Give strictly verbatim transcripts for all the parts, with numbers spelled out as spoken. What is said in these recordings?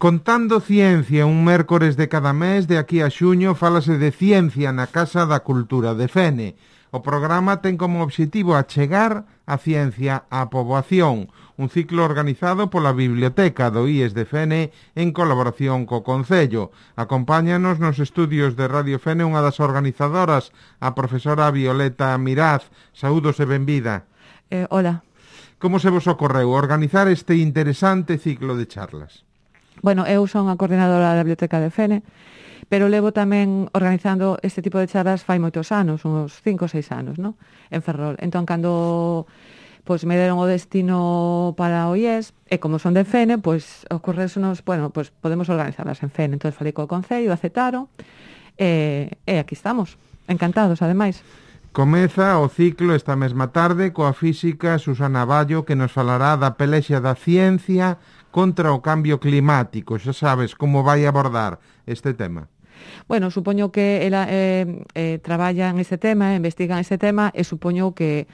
Contando Ciencia, un mércores de cada mes, de aquí a xuño, fálase de ciencia na Casa da Cultura de Fene. O programa ten como obxectivo achegar a ciencia á poboación, un ciclo organizado pola Biblioteca do I E S de Fene en colaboración co Concello. Acompáñanos nos estudios de Radio Fene unha das organizadoras, a profesora Violeta Miraz. Saúdos e benvida. Eh, hola. Como se vos ocorreu organizar este interesante ciclo de charlas? Bueno, eu son a coordinadora da Biblioteca de Fene, pero levo tamén organizando este tipo de charlas fai moitos anos, uns cinco ou seis anos, ¿no? En Ferrol. Entón, cando pois, me deron o destino para o I E S, e como son de Fene, pois, ocorreusenos, bueno, pois, podemos organizarlas en Fene. Entón, falei co Concello, aceptaron, e, e aquí estamos, encantados, ademais. Comeza o ciclo esta mesma tarde coa física Susana Ballo, que nos falará da pelexa da ciencia contra o cambio climático. Xa sabes como vai abordar este tema. Bueno, supoño que ela eh, eh, traballa en este tema, investiga en este tema, e supoño que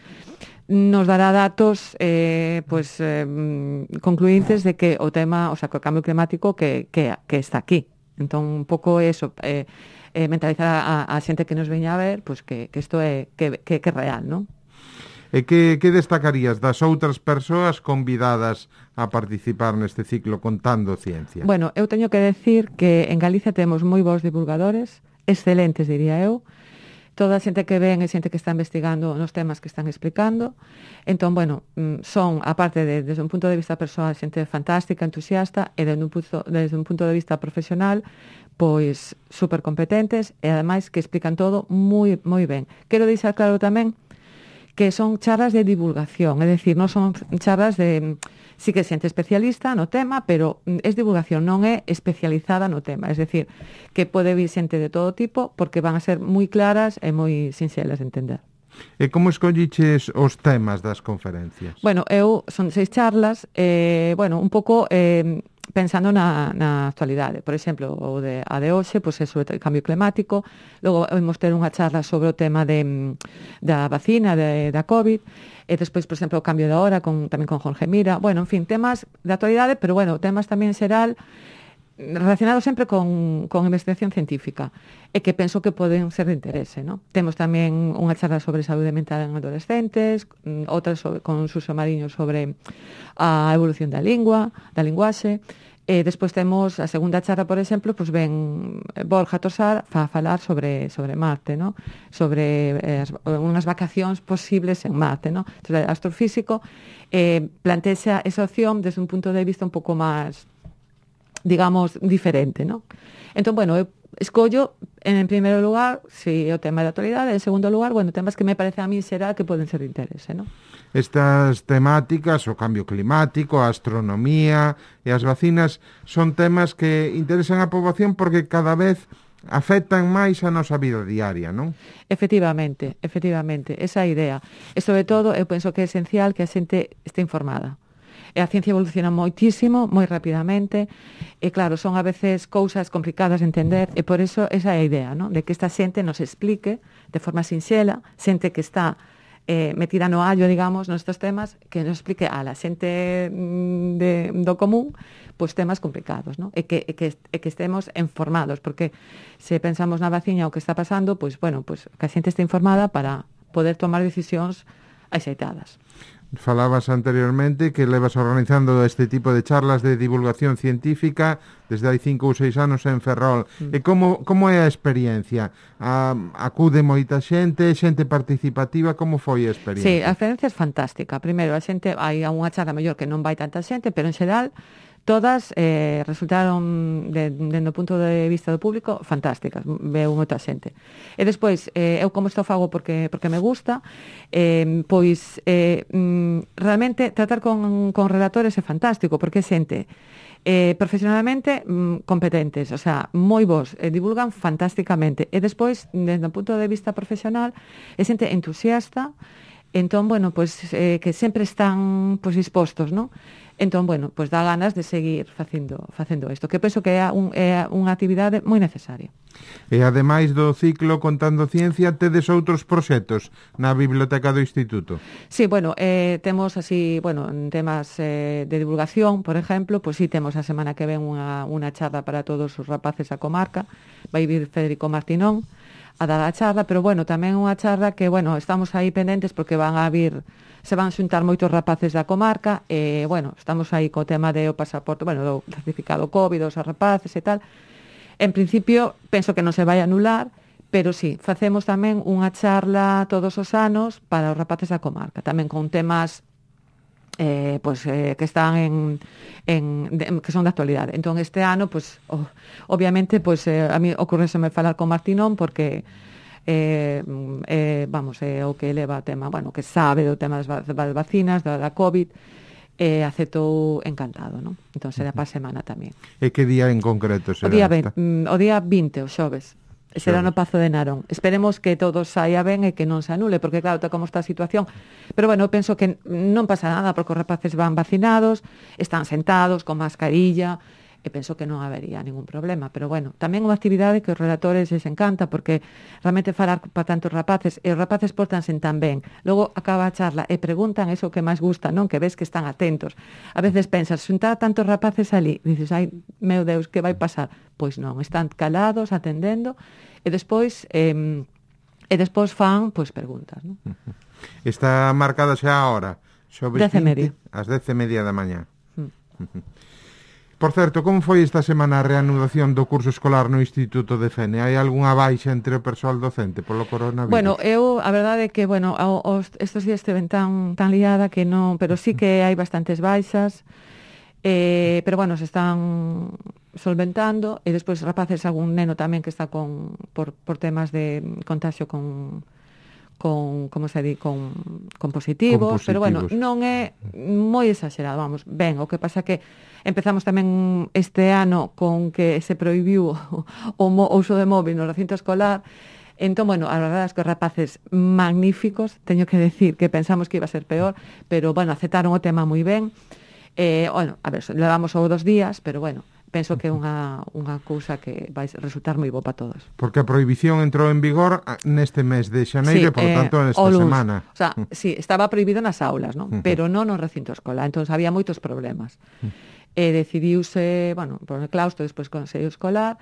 nos dará datos eh, pues, eh, concluintes de que o tema, o sea, que o cambio climático que, que, que está aquí. Entón, un pouco eso, eh, eh, mentalizar a, a xente que nos veña a ver, pues que, que isto é que, que, que é real, non? E que, que destacarías das outras persoas convidadas a participar neste ciclo Contando Ciencia? Bueno, eu teño que decir que en Galicia temos moi bons divulgadores, excelentes, diría eu. Toda a xente que ven é xente que está investigando nos temas que están explicando. Entón, bueno, son, aparte de, desde un punto de vista persoal, xente fantástica, entusiasta, e desde un punto, desde un punto de vista profesional, pois super competentes, e ademais que explican todo moi moi ben. Quero deixar claro tamén que son charlas de divulgación, é dicir, non son charlas de, sí que xente especialista no tema, pero é divulgación, non é especializada no tema, é dicir, que pode vir xente de todo tipo, porque van a ser moi claras e moi sinxelas de entender. E como escolliches os temas das conferencias? Bueno, eu son seis charlas, eh, bueno, un pouco eh, pensando na, na actualidade. Por exemplo, o de, a de hoxe, pois, é sobre o cambio climático. Logo, vamos ter unha charla sobre o tema de, da vacina de, da COVID. E despois, por exemplo, o cambio da hora, con, tamén con Jorge Mira. Bueno, en fin, temas de actualidade, pero, bueno, temas tamén xeral relacionados sempre con, con investigación científica e que penso que poden ser de interese, ¿no? Temos tamén unha charla sobre saúde mental en adolescentes, outra sobre, con Suso Mariño sobre a evolución da lingua, da linguaxe, e despois temos a segunda charla, por exemplo, pues ven Borja Tosar a falar sobre sobre Marte, ¿no? Sobre eh, as, unhas vacacións posibles en Marte, ¿no? Entón, o astrofísico eh, plantea esa opción desde un punto de vista un pouco máis, digamos, diferente, ¿no? Entón, bueno, eu escollo, en primeiro lugar, si é o tema de actualidade, en segundo lugar, bueno, temas que me parece a mí será que poden ser de interese, ¿no? Estas temáticas, o cambio climático, a astronomía e as vacinas, son temas que interesan a poboación porque cada vez afectan máis a nosa vida diaria, non? Efectivamente, efectivamente, esa idea. E, sobre todo, eu penso que é esencial que a xente este informada. E a ciencia evoluciona moitísimo, moi rapidamente, e claro, son a veces cousas complicadas de entender, e por eso esa é a idea, ¿no? De que esta xente nos explique de forma sinxela, xente que está eh, metida no allo, digamos, nestes temas, que nos explique a la xente de, do común, pois temas complicados, ¿no? E que, e, que, e que estemos informados, porque se pensamos na vacina o que está pasando, pois, bueno, pois que a xente este informada para poder tomar decisións axeitadas. Falabas anteriormente que levas organizando este tipo de charlas de divulgación científica desde hai cinco ou seis anos en Ferrol. Mm. E como, como é a experiencia? A, acude moita xente, xente participativa, como foi a experiencia? Sí, a experiencia é fantástica. Primeiro, a xente, hai unha charla mellor que non vai tanta xente, pero en xeral todas eh, resultaron, dende o punto de vista do público, fantásticas, veu moita xente. E despois, eh, eu como isto fago porque porque me gusta, eh, pois eh, realmente tratar con, con relatores é fantástico, porque é xente eh, profesionalmente mm, competentes, o sea, moi bons, eh, divulgan fantásticamente. E despois, desde o punto de vista profesional, é xente entusiasta. Entón, bueno, pois, eh, que sempre están pois, dispostos, ¿no? Entón, bueno, pois dá ganas de seguir facendo facendo isto, que penso que é, un, é unha actividade moi necesaria. E ademais do ciclo Contando Ciencia, tedes outros proxectos na Biblioteca do Instituto? Sí, bueno, eh, temos así, bueno, en temas eh, de divulgación, por exemplo, pois sí, temos a semana que ven unha, unha charla para todos os rapaces da comarca, vai vir Federico Martinón a dar a charla, pero bueno, tamén unha charla que, bueno, estamos aí pendentes porque van a vir, se van xuntar moitos rapaces da comarca, e, bueno, estamos aí co tema do pasaporte, bueno, do certificado COVID, dos rapaces e tal. En principio, penso que non se vai anular, pero sí, facemos tamén unha charla todos os anos para os rapaces da comarca, tamén con temas eh, pues, eh, que están en, en de, que son de actualidade. Entón, este ano, pues, oh, obviamente, pues, eh, a mí ocurreseme falar con Martinón porque eh, eh, vamos, é eh, o que leva o tema, bueno, que sabe do tema das, das vacinas, da, da COVID, e eh, aceptou encantado, non? Entón, será para a semana tamén. E que día en concreto será? O día, ve, o día vinte, o xoves. Será no Pazo de Narón. Esperemos que todo saia ben e que non se anule, porque claro, está como está a situación. Pero bueno, penso que non pasa nada, porque os rapaces van vacinados, están sentados, con mascarilla, e penso que non habería ningún problema. Pero bueno, tamén unha actividade que os relatores les encanta, porque realmente falar para tantos rapaces, e os rapaces portanse tan ben. Logo acaba a charla e preguntan eso que máis gusta, non? Que ves que están atentos. A veces pensas, xuntar tantos rapaces ali, dices, ai, meu Deus, que vai pasar? Pois non, están calados, atendendo, e despois eh, e despois fan, pois, preguntas, non? Está marcada xa a hora, xoves dez e media. Ás dez e media da mañá. Mm. Por certo, como foi esta semana a reanudación do curso escolar no Instituto de Fene? Hai algunha baixa entre o persoal docente polo coronavirus? Bueno, eu, a verdade é que, bueno, os, estes días esteven tan, tan liada que non, pero sí que hai bastantes baixas, eh, pero bueno, se están solventando, e despois rapaces, algún neno tamén que está con por, por temas de contagio con con, como se di, con, con positivos, con positivos, pero bueno, non é moi exagerado, vamos, ben, o que pasa que empezamos tamén este ano con que se prohibiu o, o uso de móvil no recinto escolar. Entón, bueno, a verdade é que os rapaces magníficos, teño que decir que pensamos que iba a ser peor, pero, bueno, aceptaron o tema moi ben. Eh, bueno, a ver, levamos só dos días, pero, bueno, penso que é unha, unha cousa que vai resultar moi bo para todos. Porque a prohibición entrou en vigor neste mes de xaneiro, sí, por eh, tanto, nesta semana. O sea, sí, estaba prohibido nas aulas, non? Uh-huh. Pero non no recinto escolar, entón había moitos problemas. Uh-huh. E decidiuse, bueno, por el claustro, despois Consello Escolar,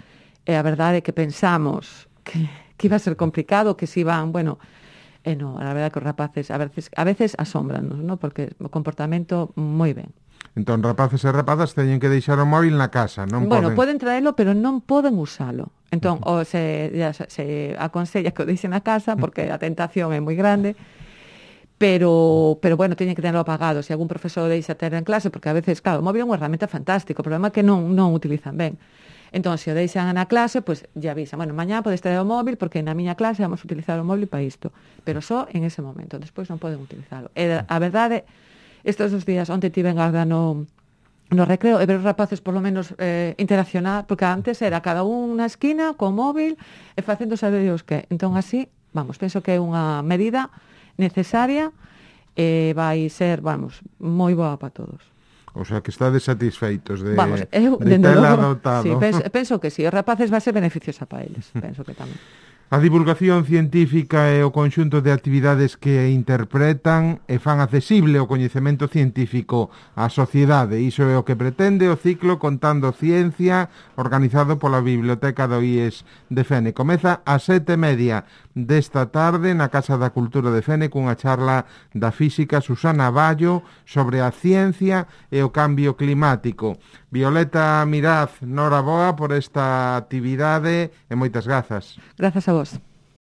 e a verdade é que pensamos que, que iba a ser complicado, que se iban, bueno, e non, a verdade é que os rapaces a veces, a veces asómbranos, non? Porque o comportamento moi ben. Entón, rapaces e rapazas teñen que deixar o móvil na casa, non bueno, poden... poden traelo, pero non poden usalo. Entón, uh-huh. o se, ya, se aconsella que o deixen na casa, porque a tentación é moi grande, pero, pero bueno, teñen que tenerlo apagado. Se algún profesor deixa ter en clase, porque a veces, claro, o móvil é unha herramienta fantástica, o problema é que non, non utilizan ben. Entón, se o deixan na clase, pois pues, ya avisan, bueno, mañá podes ter o móvil, porque na miña clase vamos a utilizar o móvil para isto, pero só en ese momento, despois non poden utilizalo. E a verdade, estes dos días, onte tiven garda no, no recreo, e ver os rapaces por lo menos eh, interaccionar, porque antes era cada un na esquina, co móvil, e facendo saber os que. Entón, así, vamos, penso que é unha medida necesaria e vai ser, vamos, moi boa para todos. O sea, que estades satisfeitos de, vamos, eu, de tela adoptado. Sí, penso, penso que sí, os rapaces vai ser beneficiosa para eles, penso que tamén. A divulgación científica e o conxunto de actividades que interpretan e fan accesible o coñecemento científico á sociedade. Iso é o que pretende o ciclo Contando Ciencia, organizado pola Biblioteca do I E S de Fene. Comeza a sete e media desta tarde na Casa da Cultura de Fene cunha charla da física Susana Ballo sobre a ciencia e o cambio climático. Violeta Miraz, noraboa por esta actividade e moitas grazas. Grazas a vos.